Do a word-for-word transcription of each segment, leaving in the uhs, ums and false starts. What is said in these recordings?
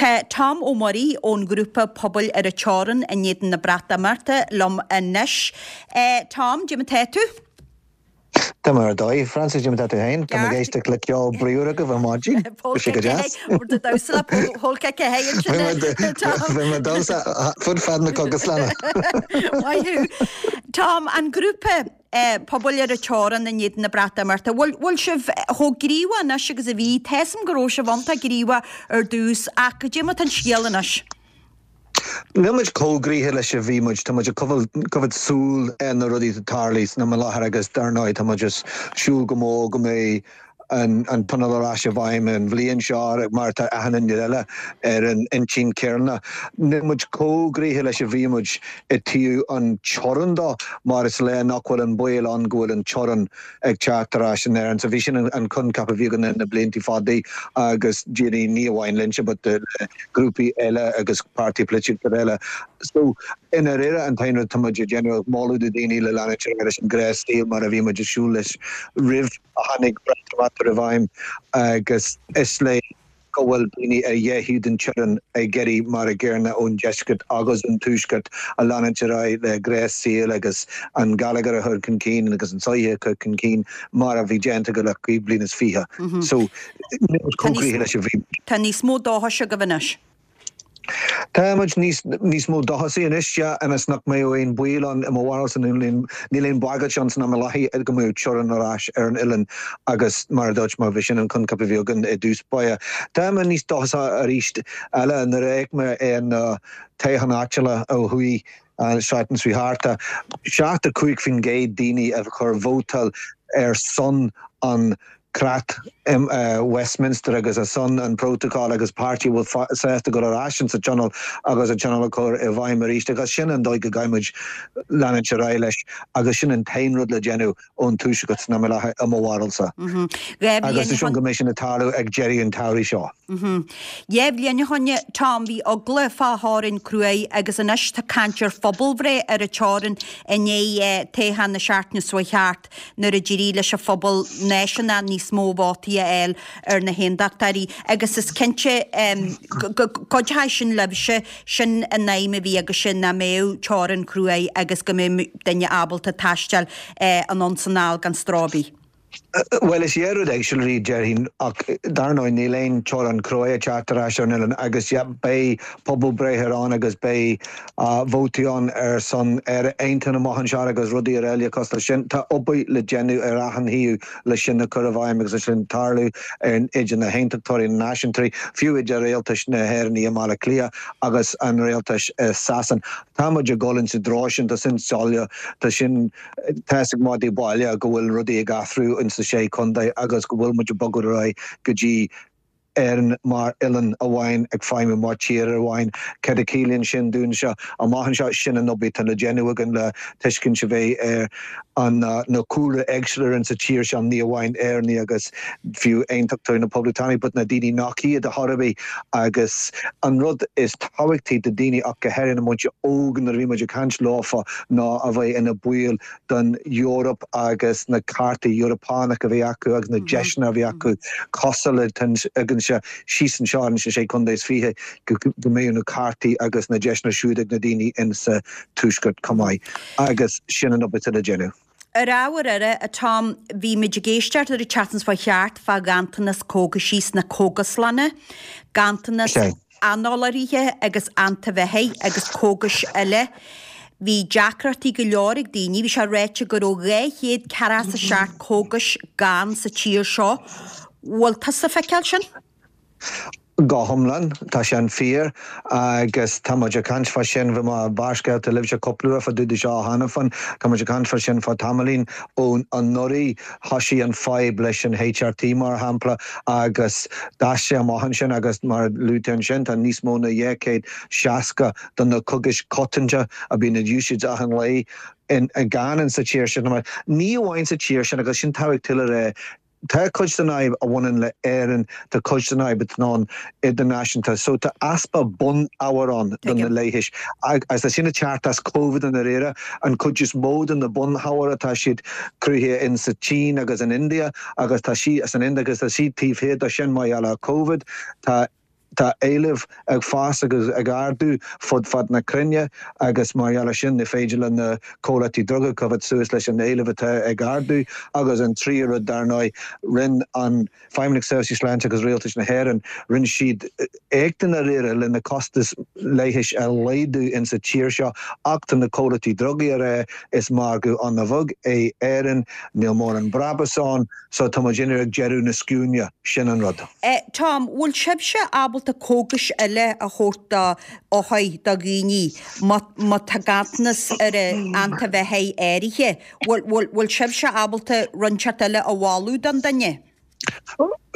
Tá Tom Ó Muirí ón ghrúpa Pobail ar an Teorainn in éadan na Breatimeachta liom anois. Eh, Tom, cad é mar tá tú? Tá mar dóigh Francis Jim tú féin Tá ag éisteacht le ceol bríomhar agaibh ar maidin sé go deas. Fud fad na cógaslainne. Tom an grúpa eh, Pobail ar an Teorainn in éadan na Breatimeachta. Bhfuil sibh chomh gníomhach anois agus a bhí Tésam go raibh sibh iontach gníomhach ar dtús ach cad é mar atá an scéal anois. Níl muid chomh gníomhach leis a bhí muid tá muid coimhéad súil ar na rudaí atá tarlaithe san am i láthair agus dar ndóigh tá muid ag súil go mór go mbeidh an an tionól ar ais i bhfeidhm an bhliain seo mar tá achan duine eile ar an intinn céanna. Níl muid chomh gníomhach leis a bhí muid i dtaobh an teorann dó mar is léir nach bhfuil an baol ann go bhfuil an teorann ag teacht ar ais in Éirinn. So bhí sin an coincheap a bhí againn na blianta fada agus daoine ní amháin linnse but grúpaí eile agus páirtí polaitíochta eile. So i ndáiríre an t-aon rud tá muid ag déanamh moladh do daoine le leanúint leis an ngnáthshaol mar a bhí muid ag siúl leis roimh a tháinig Breatimeacht i bhfeidhm agus is léir go bhfuil daoine ar dhá thaobh den teorainn ag iarraidh mar a gcéanna ón deisceart agus an tuaisceart a leanúint ar aghaidh le gnáthshaol agus an geilleagar a chur chun cinn agus an sochaí a chur chun cinn mar a bhí déanta go le cúig bliana is fiche. So chomh gníomhach leis a bhí. Tá níos mó dóchais agaibh anois. Tá muid níos níos mó dóchasaí anois yeah ionas nach mbeidh aon baol ann i mo bharúilsa níl aon bhagairt ann san am i láthair go mbeidh teorainn ar ais ar an oileán agus mar a dúirt mé bhí sin an coincheap a bhí againn i dtús báire. Tá mé níos dóchasaí arís eile nuair a fheic mé ar na toghcháin áitiúla ó thuaidh an seachtain seo thart. Seachtó cúig faoin gcéad daoine a chuir vótáil ar son an creat Westminster agus ar son an protocol agus páirtí bhfuil sásta go ar ais sa tionól agus an tionól a chur i bhfeidhm arís agus sin an dóigh go gcaithfimid leanúint ar aghaidh leis agus sin an t-aon rud le déanamh ón tuaisceart san am i láthair i mo bharúilsa. Agus is go mbeidh sin ag tarlú ag deireadh an tsamhraidh seo. Dhá bhliain ó shin Tom bhí eagla fá theorainn cruaidh agus anois tá caint ar phobalbhreith ar an teorainn i ndiaidh toghchán na seachtaine seo thart nuair a d'éirigh leis an phobal náisiúnach níos mó vótaí a fháil ar na haontachtóirí agus is cinnte go gcuideoidh sin libhse sin an aidhm a bhí agaibhse nach mbeadh teorainn cruaidh agus go mbeadh duine ábalta taisteal anonn is anall gan stró ar bith. Bhuel is é rud éagsúil déarfainn ach dar ndóigh níl aon teorainn cruaidh ag teacht ar ais ar an oileán agus beidh pobalbhreith ar ann agus beidh vótaí ann ar son Éire aontaithe amach anseo agus rudaí eile cosúil leis sin. Tá obair le déanamh ar achan thaobh leis sin a chur i bhfeidhm agus sin tarlú idir na haontachtóirí na náisiúntóirí, fiú idir rialtas na hÉireann i mBaile Átha Cliath agus an rialtas i Sasain. Tá muid ag dul insa treo sin tá sin soiléir tá sin tá ag maidí baile go bhfuil rudaí ag athrú in sa sé chontae agus go bhfuil muid ag bogadh ar aghaidh go dtí Éirinn mar oileán amháin ag feidhmiú mar tír amháin cad a chiallaíonn sin dúinn seo amach anseo sin an obair atá le déanamh againn le tuiscint a bheith ar an na cúlra éagsúla in sa tír seo ní amháin Éireannaigh agus fiú aontachtóirí na poblachtánaigh, but na daoine nach iad a thairbhí agus an rud is tábhachtaí do daoine ach go háirithe na muintir óg nuair a bhí muid ag caint leofa ná a bheith ina baill den Eoraip agus na cártaí Eorpach a bhí acu agus na deiseanna a bhí acu cosúil le againse síos anseo in sé chontae is fiche go mbeidh na cártaí agus na deiseanna siúd ag na daoine in sa tuaisceart chomh maith agus sin an obair le déanamh. Ar ábhar eile a Tom, bhí muid ag éisteacht ar an tseachtain seo thart fá ghanntanas cógaisí sna cógaslanna, ganntanas análairithe agus antaibheathaigh agus cógais eile. Bhí deacrachtaí go leor ag daoine, bhí sé ráite go raibh dhá chéad ceathracha a seacht cógais gann sa tír seo. Bhfuil tusa ag feiceáil sin? Go hiomlán tá sé an fíor agus tá muid ag caint fá sin bhí mé ag barrscéalta libhse cúpla uair fá dtaobh de seo cheana féin tá muid ag caint fá sin fá tamaillín ón anuraidh thosaigh an fadhb leis an HRT mar shampla agus d'fhás sé amach ansin agus mar luaigh tú ansin tá níos mó ná dhá chéad seasca de na cógais coitianta a bhíonn in úsáid achan lá in gann in sa tír sin ní amháin sa tír sin agus sin tábhachtach le rá Tá cuid den fhadhb a bhaineann le Éirinn, tá cuid den fhadhb atá ann idirnáisiúnta, so tá easpa bunábhar ann do na leighis. Agus tá sin ag teacht as Covid i ndáiríre, an chuid is mó de na bunábhair atá siad cruthaithe in sa tSín agus in India agus tá sí as an India agus tá siad taobh thiar de sin mar gheall ar Covid. Tá Tá éileamh ag fás agus ag ardú fud fad na cruinne agus mar gheall air sin ní féidir le na comhlachtaí druga coimhéad suas leis an éileamh atá ag ardú agus an tríú rud dar ndóigh rinne an Feidhmeannacht Seirbhísí Sláinte agus Rialtas na hÉireann rinne siad éacht i ndáiríre le na costais leighis a laghdú insa tír seo ach tá na comhlachtaí drugaí ag rá is margadh an-bheag é Éirinn, níl mórán brabús ann so tá muid ag deireadh na scuaine, sin an rud. Tom, bhfuil sibhse ábalta cógais eile a thabhairt do othair do dhaoine má tá ganntanas ar antaibheathaigh áirithe? Bhfuil sibhse ábalta rud inteacht eile a mholadh don duine?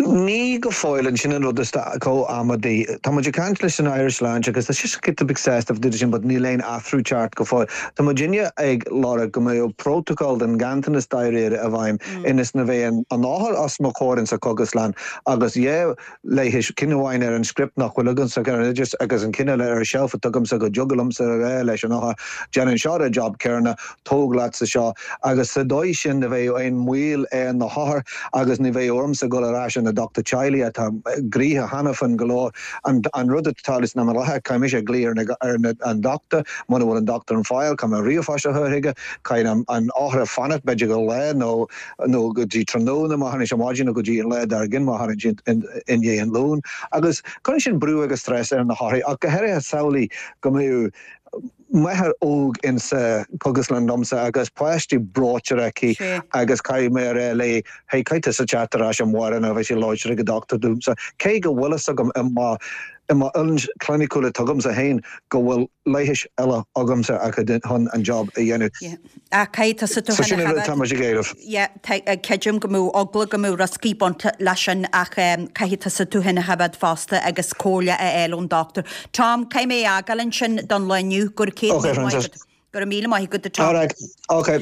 Ní go fóill an sin an rud is chomh amaidí. Tá muid ag caint leis an Irish Sláinte agus tá sé giota beag sásta dúirt sin, but níl aon athrú ceart go fóill. Tá muidinne ag lorg go mbeadh protocol den ganntanas dáiríre i bhfeidhm ionas nach mbeidh an othar os mo chomhair insa chógaslann agus dhá leigheas ceann amháin ar an script nach bhfuil agamsa ar an oideas agus an ceann eile ar an shelf atá agamsa go dtig liomsa a rá leis an othar déanann seo an job céanna tóg leatsa seo agus sa dóigh sin ní bheidh aon mhoill ar na hothair agus ní bheidh ormsa dul ar ais an dochtúir teaghlaigh atá gnoitheach cheana féin go leor an an rud atá leis na látha caithfidh mise glaoch ar ar an dochtúir muna bhfuil an dochtúir ar fáil caithfidh mé ríomhphost a chur chuige caithfidh an othar fanacht b'fhéidir go lá nó nó go dtí tráthnóna má thagann sé maidin nó go dtí an lá dár gcionn má thagann sé i ndiaidh an lóin agus cuireann sin brú agus stress ar na hothair ach go háirithe samhlaigh go mbeadh máthair óg insa chógaslann liomsa agus páistí breoite aici agus caithfidh mé a rá léi hey caithfidh tusa teacht ar ais amárach nó bheidh sé láidir ag an dochtúir domsa cé go bhfuil fhios agam i mo i mo oiliúint chliniciúil atá agamsa féin go bhfuil leighis eile agamsa a chun an job a dhéanamh. A caithfidh tusa tú So sin an rud atá muid ag éileamh. Creidim go mbeadh eagla go mbeadh rioscaí bainte leis sin ach caithfidh tusa tú féin a choimhéad fosta agus comhairle a fháil ón dochtúir. Tom, caithfidh mé a fhágáil ansin don lá inniu go raibh céad Okay, míle maith Francis. agat. Go raibh míle maith agat Tom. All right. Okay.